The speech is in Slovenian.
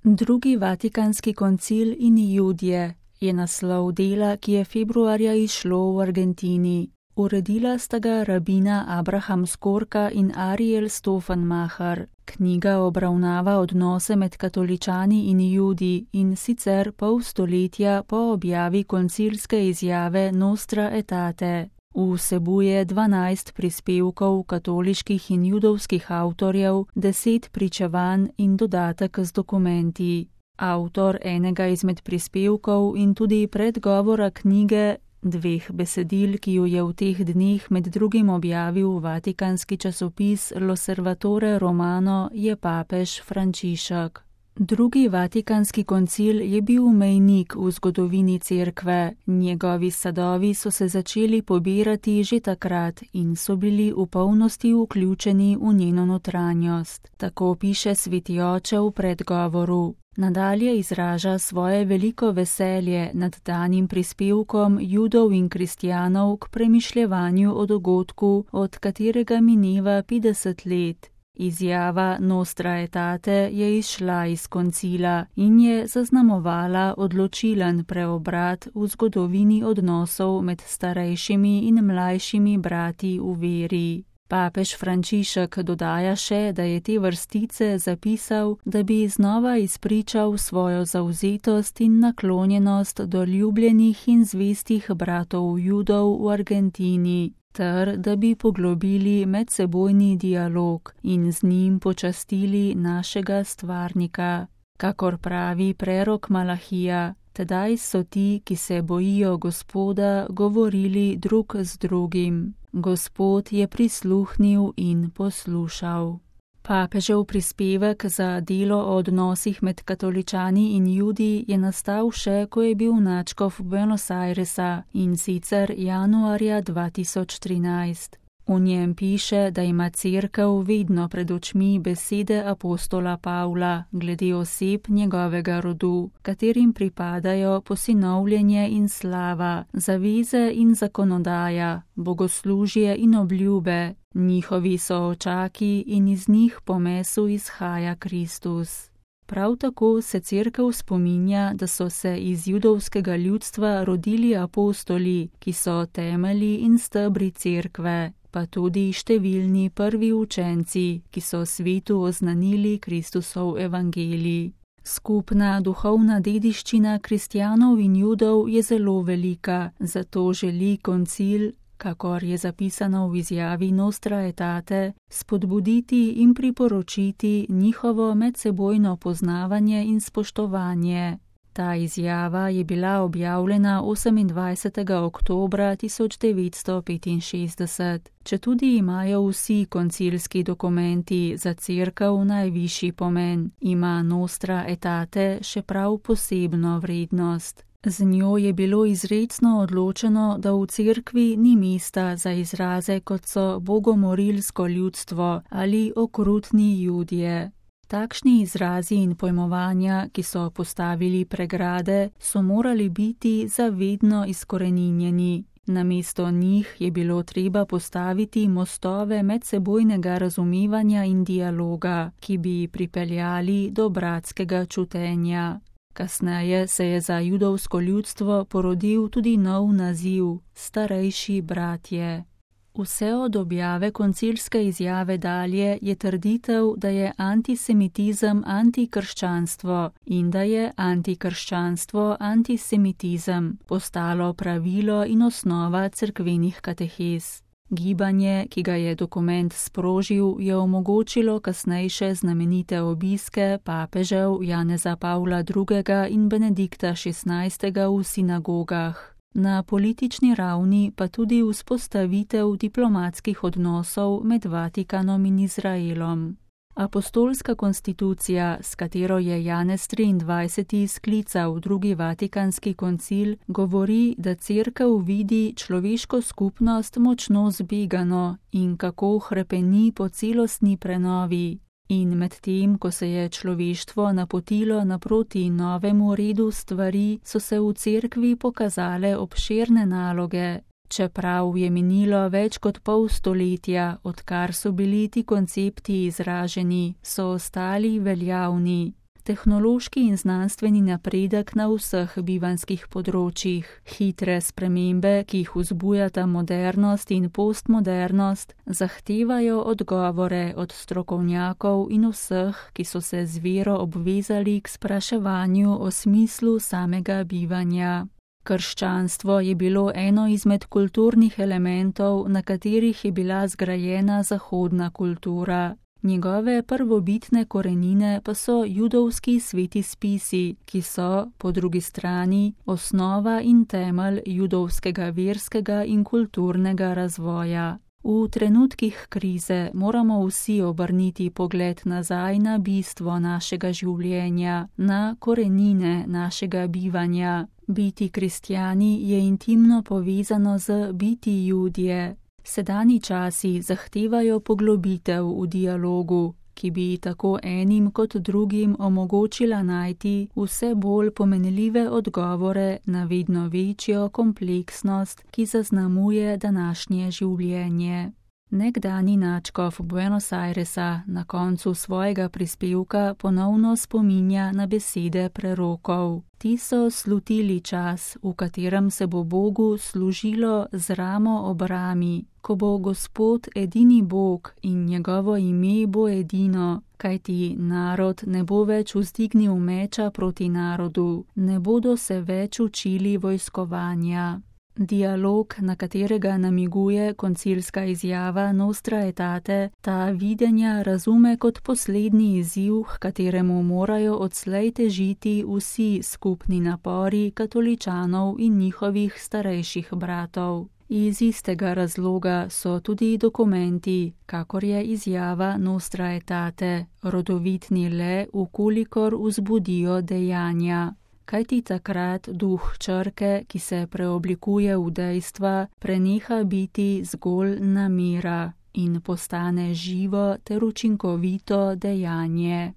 Drugi Vatikanski koncil in Judje je naslov dela, ki je februarja izšlo v Argentini. Uredila sta ga rabina Abraham Skorka in Ariel Stofenmacher. Knjiga obravnava odnose med katoličani in Judi in sicer pol stoletja po objavi koncilske izjave Nostra Aetate. Vsebuje 12 prispevkov katoliških in judovskih avtorjev, 10 pričevanj in dodatek z dokumenti. Avtor enega izmed prispevkov in tudi predgovora knjige, 2 besedil, ki ju je v teh dneh med drugim objavil vatikanski časopis L'Osservatore Romano, je papež Frančišek. Drugi Vatikanski koncil je bil mejnik v zgodovini cerkve, njegovi sadovi so se začeli pobirati že takrat in so bili v polnosti vključeni v njeno notranjost. Tako piše sveti oče v predgovoru. Nadalje izraža svoje veliko veselje nad danim prispevkom Judov in kristjanov k premišljevanju o dogodku, od katerega mineva 50 let. Izjava Nostra Aetate je izšla iz koncila in je zaznamovala odločilen preobrat v zgodovini odnosov med starejšimi in mlajšimi brati v veri. Papež Frančišek dodaja še, da je te vrstice zapisal, da bi znova izpričal svojo zavzetost in naklonjenost do ljubljenih in zvestih bratov Judov v Argentini, ter da bi poglobili medsebojni dialog in z njim počastili našega stvarnika. Kakor pravi prerok Malahija, tedaj so ti, ki se bojijo Gospoda, govorili drug z drugim. Gospod je prisluhnil in poslušal. Papežev prispevek za delo o odnosih med katoličani in Judi je nastal še, ko je bil nadškof Buenos Airesa, in sicer januarja 2013. V njem piše, da ima cerkev vedno pred očmi besede apostola Pavla glede oseb njegovega rodu, katerim pripadajo posinovljenje in slava, zaveze in zakonodaja, bogoslužje in obljube, njihovi soočaki in iz njih po mesu izhaja Kristus. Prav tako se cerkev spominja, da so se iz judovskega ljudstva rodili apostoli, ki so temelji in stebri cerkve, pa tudi številni prvi učenci, ki so svetu oznanili Kristusov evangelij. Skupna duhovna dediščina kristjanov in Judov je zelo velika, zato želi koncil, kakor je zapisano v izjavi Nostra Aetate, spodbuditi in priporočiti njihovo medsebojno poznavanje in spoštovanje. Ta izjava je bila objavljena 28. oktobra 1965. Četudi imajo vsi koncilski dokumenti za cerkev najvišji pomen, ima Nostra Aetate še prav posebno vrednost. Z njo je bilo izrecno odločeno, da v cerkvi ni mesta za izraze, kot so bogomorilsko ljudstvo ali okrutni Judje. Takšni izrazi in pojmovanja, ki so postavili pregrade, so morali biti zavedno izkoreninjeni. Namesto njih je bilo treba postaviti mostove medsebojnega razumevanja in dialoga, ki bi pripeljali do bratskega čutenja. Kasneje se je za judovsko ljudstvo porodil tudi nov naziv, starejši bratje. Vse od objave koncilske izjave dalje je trditev, da je antisemitizem antikrščanstvo in da je antikrščanstvo antisemitizem postalo pravilo in osnova cerkvenih katehez. Gibanje, ki ga je dokument sprožil, je omogočilo kasnejše znamenite obiske papežev Janeza Pavla II. In Benedikta XVI. V sinagogah. Na politični ravni pa tudi vzpostavitev diplomatskih odnosov med Vatikanom in Izraelom. Apostolska konstitucija, s katero je Janez XXIII. Sklical drugi Vatikanski koncil, govori, da cerkev vidi človeško skupnost močno zbegano in kako hrepeni po celostni prenovi. In medtem, ko se je človeštvo napotilo naproti novemu redu stvari, so se v cerkvi pokazale obširne naloge. Čeprav je minilo več kot pol stoletja, odkar so bili ti koncepti izraženi, so ostali veljavni. tehnološki in znanstveni napredek na vseh bivanjskih področjih. Hitre spremembe, ki jih vzbujata modernost in postmodernost, zahtevajo odgovore od strokovnjakov in vseh, ki so se z vero obvezali k spraševanju o smislu samega bivanja. Krščanstvo je bilo eno izmed kulturnih elementov, na katerih je bila zgrajena zahodna kultura. Njegove prvobitne korenine pa so judovski sveti spisi, ki so, po drugi strani, osnova in temelj judovskega verskega in kulturnega razvoja. V trenutkih krize moramo vsi obrniti pogled nazaj na bistvo našega življenja, na korenine našega bivanja. Biti kristjani je intimno povezano z biti Judje. Sedanji časi zahtevajo poglobitev v dialogu, ki bi tako enim kot drugim omogočila najti vse bolj pomenljive odgovore na vedno večjo kompleksnost, ki zaznamuje današnje življenje. Nekdanji nadškof Buenos Airesa na koncu svojega prispevka ponovno spominja na besede prerokov. Ti so slutili čas, v katerem se bo Bogu služilo z ramo ob rami, ko bo Gospod edini Bog in njegovo ime bo edino, kajti narod ne bo več vzdignil meča proti narodu, ne bodo se več učili vojskovanja. Dialog, na katerega namiguje koncilska izjava Nostra Aetate, ta videnja razume kot poslednji izziv, h kateremu morajo odslej težiti vsi skupni napori katoličanov in njihovih starejših bratov. Iz istega razloga so tudi dokumenti, kakor je izjava Nostra Aetate, rodovitni le, vkolikor vzbudijo dejanja. Kajti takrat duh črke, ki se preoblikuje v dejstva, preneha biti zgolj namera in postane živo ter učinkovito dejanje.